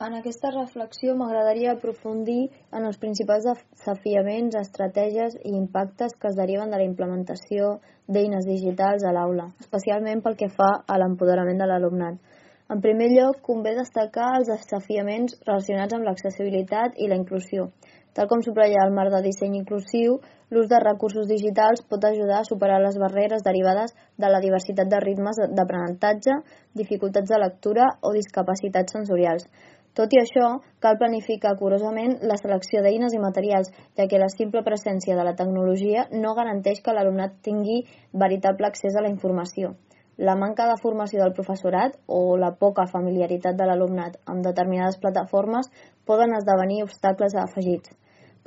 En aquesta reflexió m'agradaria aprofundir en els principals desafiaments, estratègies i impactes que es deriven de la implementació d'eines digitals a l'aula, especialment pel que fa a l'empoderament de l'alumnat. En primer lloc, convé destacar els desafiaments relacionats amb l'accessibilitat i la inclusió. Tal com subratlla el marc de disseny inclusiu, l'ús de recursos digitals pot ajudar a superar les barreres derivades de la diversitat de ritmes d'aprenentatge, dificultats de lectura o discapacitats sensorials. Tot i això, cal planificar curosament la selecció d'eines i materials, ja que la simple presència de la tecnologia no garanteix que l'alumnat tingui veritable accés a la informació. La manca de formació del professorat o la poca familiaritat de l'alumnat amb determinades plataformes poden esdevenir obstacles afegits.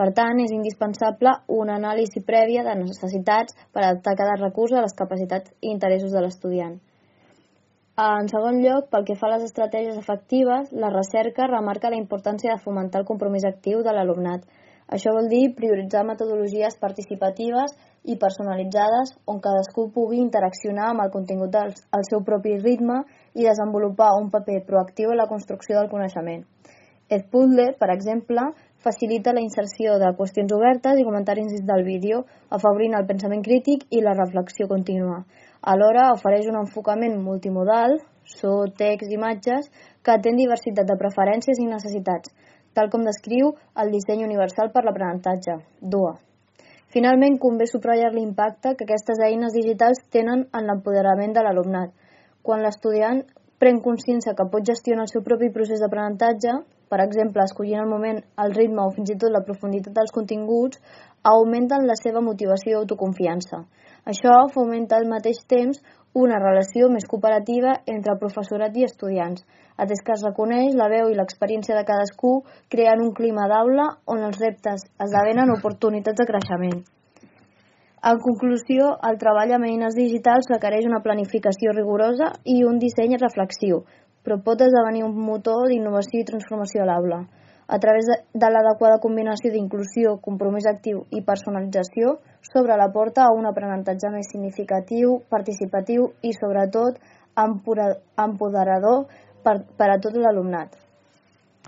Per tant, és indispensable una anàlisi prèvia de necessitats per adaptar cada recurs a les capacitats i interessos de l'estudiant. En segon lloc, pel que fa a les estratègies efectives, la recerca remarca la importància de fomentar el compromís actiu de l'alumnat. Això vol dir prioritzar metodologies participatives i personalitzades on cadascú pugui interaccionar amb el contingut al seu propi ritme i desenvolupar un paper proactiu en la construcció del coneixement. Edpuzzle, per exemple, facilita la inserció de qüestions obertes i comentaris del vídeo, afavorint el pensament crític i la reflexió contínua. Alhora ofereix un enfocament multimodal, so, text, imatges, que atén diversitat de preferències i necessitats, tal com descriu el disseny universal per l'aprenentatge, DUA. Finalment, convé subratllar l'impacte que aquestes eines digitals tenen en l'empoderament de l'alumnat. Quan l'estudiant pren consciència que pot gestionar el seu propi procés d'aprenentatge, per exemple, escollint el moment, el ritme o fins i tot la profunditat dels continguts, augmenten la seva motivació i autoconfiança. Això fomenta al mateix temps una relació més cooperativa entre professorat i estudiants, atès que es reconeix la veu i l'experiència de cadascú creant un clima d'aula on els reptes esdevenen oportunitats de creixement. En conclusió, el treball amb eines digitals requereix una planificació rigorosa i un disseny reflexiu, però pot esdevenir un motor d'innovació i transformació a l'aula. A través de l'adequada combinació d'inclusió, compromís actiu i personalització, s'obre la porta a un aprenentatge més significatiu, participatiu i, sobretot, empoderador per a tot l'alumnat.